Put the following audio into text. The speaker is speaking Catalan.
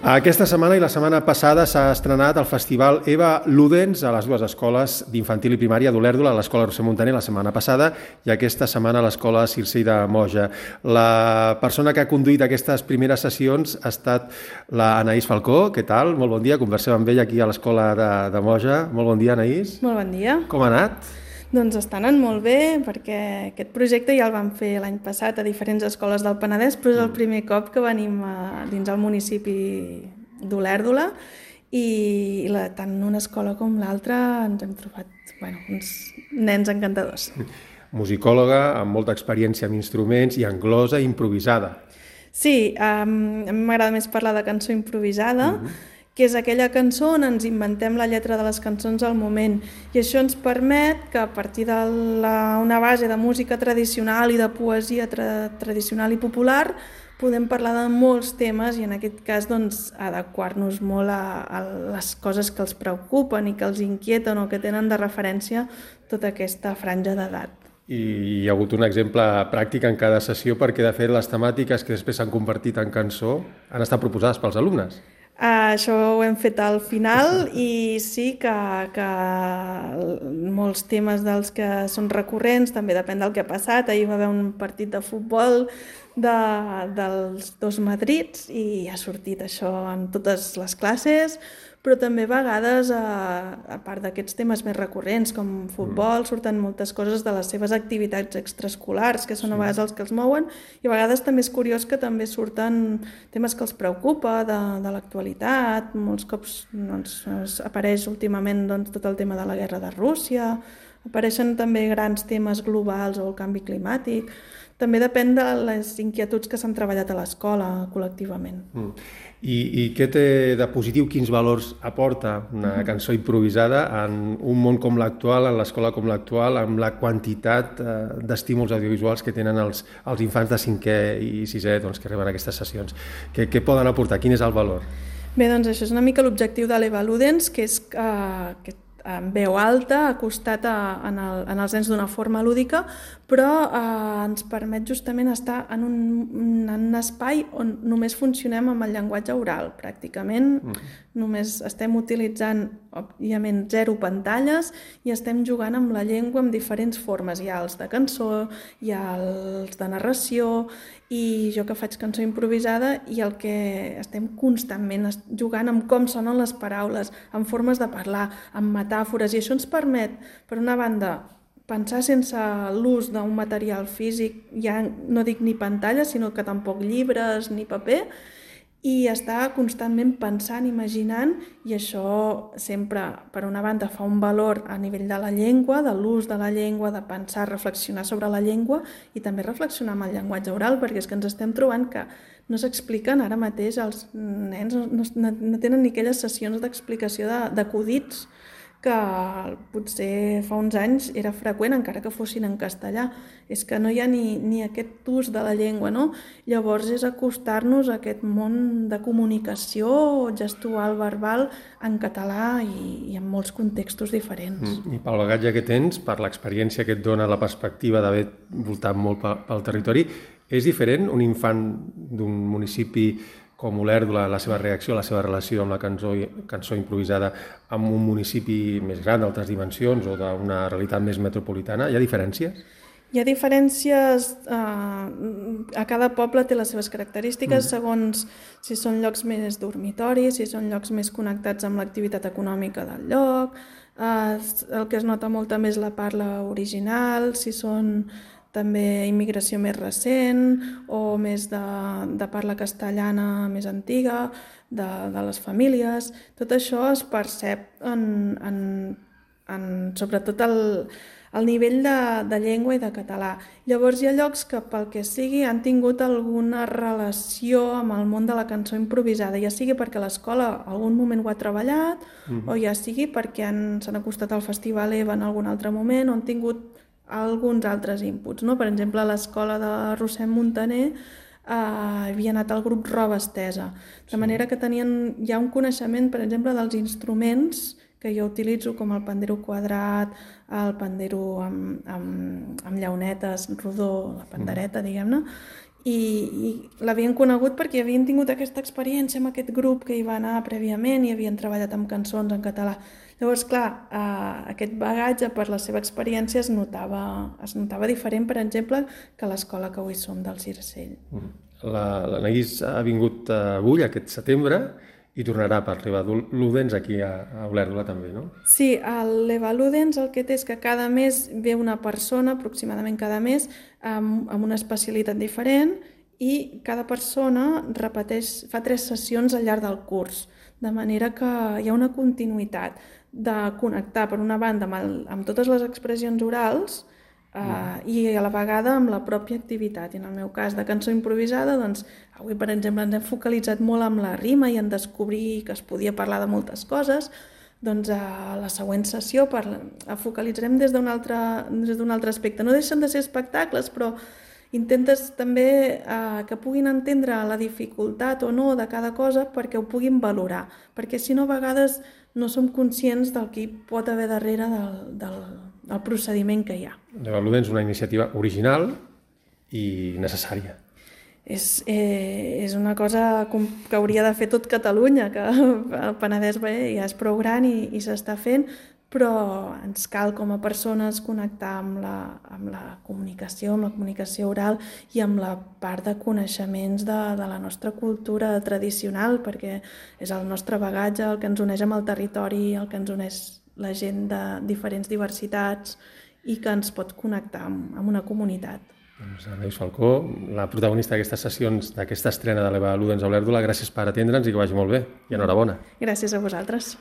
Aquesta setmana i la setmana passada s'ha estrenat el Festival Eva Ludens a les dues escoles d'infantil i primària d'Olèrdola, a l'Escola Roser Muntaner la setmana passada i aquesta setmana a l'Escola Circell de Moja. La persona que ha conduït aquestes primeres sessions ha estat l'Anaïs Falcó. Què tal? Molt bon dia. Conversem amb ella aquí a l'Escola de Moja. Molt bon dia, Anaïs. Molt bon dia. Com ha anat? Doncs està anant molt bé, perquè aquest projecte ja el vam fer l'any passat a diferents escoles del Penedès, però és el primer cop que venim dins el municipi d'Olèrdola i tant una escola com l'altra ens hem trobat uns nens encantadors. Musicòloga, amb molta experiència amb instruments i anglosa improvisada. Sí, m'agrada més parlar de cançó improvisada, que és aquella cançó on ens inventem la lletra de les cançons al moment. I això ens permet que a partir d'una base de música tradicional i de poesia tradicional i popular podem parlar de molts temes i en aquest cas adequar-nos molt a les coses que els preocupen i que els inquieten o que tenen de referència tota aquesta franja d'edat. I hi ha hagut un exemple pràctic en cada sessió perquè de fet les temàtiques que després s'han convertit en cançó han estat proposades pels alumnes. Això ho hem fet al final i sí que molts temes dels que són recurrents, també depèn del que ha passat. Ahir va haver un partit de futbol dels dos Madrids i ha sortit això en totes les classes, però també a vegades, a part d'aquests temes més recurrents com futbol, surten moltes coses de les seves activitats extraescolars, que són a vegades els que els mouen, i a vegades també és curiós que també surten temes que els preocupa de l'actualitat. Molts cops apareix últimament tot el tema de la guerra de Rússia, apareixen també grans temes globals o el canvi climàtic. També depèn de les inquietuds que s'han treballat a l'escola col·lectivament. I què té de positiu, quins valors aporta una cançó improvisada en un món com l'actual, en l'escola com l'actual, amb la quantitat d'estímuls audiovisuals que tenen els infants de 5è i 6è que reben aquestes sessions? Què poden aportar? Quin és el valor? Bé, doncs això és una mica l'objectiu de l'Eva Ludens, que és que en veu alta, acostat en els nens d'una forma lúdica, però ens permet justament estar en un espai on només funcionem amb el llenguatge oral, pràcticament. Només estem utilitzant, òbviament, 0 pantalles i estem jugant amb la llengua en diferents formes. Hi ha els de cançó, hi ha els de narració, i jo que faig cançó improvisada i el que estem constantment jugant amb com sonen les paraules, amb formes de parlar, amb metàfores, i això ens permet, per una banda, pensar sense l'ús d'un material físic, ja no dic ni pantalla, sinó que tampoc llibres ni paper, i estar constantment pensant, imaginant, i això sempre, per una banda, fa un valor a nivell de la llengua, de l'ús de la llengua, de pensar, reflexionar sobre la llengua i també reflexionar amb el llenguatge oral, perquè és que ens estem trobant que no s'expliquen ara mateix, els nens no tenen ni aquelles sessions d'explicació d'acudits que potser fa uns anys era freqüent, encara que fossin en castellà. És que no hi ha ni aquest ús de la llengua, no? Llavors és acostar-nos a aquest món de comunicació gestual, verbal, en català i en molts contextos diferents. I pel bagatge que tens, per l'experiència que et dona la perspectiva d'haver voltat molt pel territori, és diferent un infant d'un municipi com Olèrdola, la seva reacció, la seva relació amb la cançó improvisada amb un municipi més gran, d'altres dimensions o d'una realitat més metropolitana? Hi ha diferències? Hi ha diferències, a cada poble té les seves característiques segons si són llocs més dormitoris, si són llocs més connectats amb l'activitat econòmica del lloc, el que es nota molt també és la parla original, si són també immigració més recent o més de parla castellana més antiga, de les famílies. Tot això es percep sobretot al nivell de llengua i de català. Llavors hi ha llocs que pel que sigui han tingut alguna relació amb el món de la cançó improvisada, ja sigui perquè l'escola algun moment ho ha treballat o ja sigui perquè s'han acostat al Festival Eva en algun altre moment o han tingut alguns altres inputs, no? Per exemple, a l'escola de Roser Muntaner havia anat al grup Roba Estesa, de manera que tenien ja un coneixement, per exemple, dels instruments que jo utilitzo, com el pandero quadrat, el pandero amb llaunetes, rodó, la pandereta, diguem-ne, i l'havien conegut perquè havien tingut aquesta experiència amb aquest grup que hi va anar prèviament i havien treballat amb cançons en català. Llavors, clar, aquest bagatge per la seva experiència es notava diferent, per exemple, que a l'escola que avui som del Circell. L'Anaïs ha vingut avui, aquest setembre, i tornarà per l'Eva Ludens aquí a Olèrdola també, no? Sí, a l'Eva Ludens el que té és que cada mes ve una persona, aproximadament cada mes, amb una especialitat diferent i cada persona fa 3 sessions al llarg del curs, de manera que hi ha una continuïtat de connectar, per una banda, amb totes les expressions orals i a la vegada amb la pròpia activitat. I en el meu cas de cançó improvisada, doncs, avui, per exemple, ens hem focalitzat molt amb la rima i en descobrir que es podia parlar de moltes coses. Doncs a la següent sessió focalitzarem des d'un altre aspecte. No deixen de ser espectacles, però intentes també que puguin entendre la dificultat o no de cada cosa perquè ho puguin valorar, perquè si no a vegades no som conscients del que hi pot haver darrere del procediment que hi ha. L'Eva Ludens és una iniciativa original i necessària. És una cosa que hauria de fer tot Catalunya, que el Penedès ja és prou gran i s'està fent, però ens cal com a persones connectar amb la comunicació oral i amb la part de coneixements de la nostra cultura tradicional, perquè és el nostre bagatge, el que ens uneix amb el territori, el que ens uneix la gent de diferents diversitats i que ens pot connectar amb una comunitat. Doncs Anaïs Falcó, la protagonista d'aquestes sessions, d'aquesta estrena de l'Eva Ludens a Olèrdola, gràcies per atendre'ns i que vagi molt bé. I enhorabona. Gràcies a vosaltres.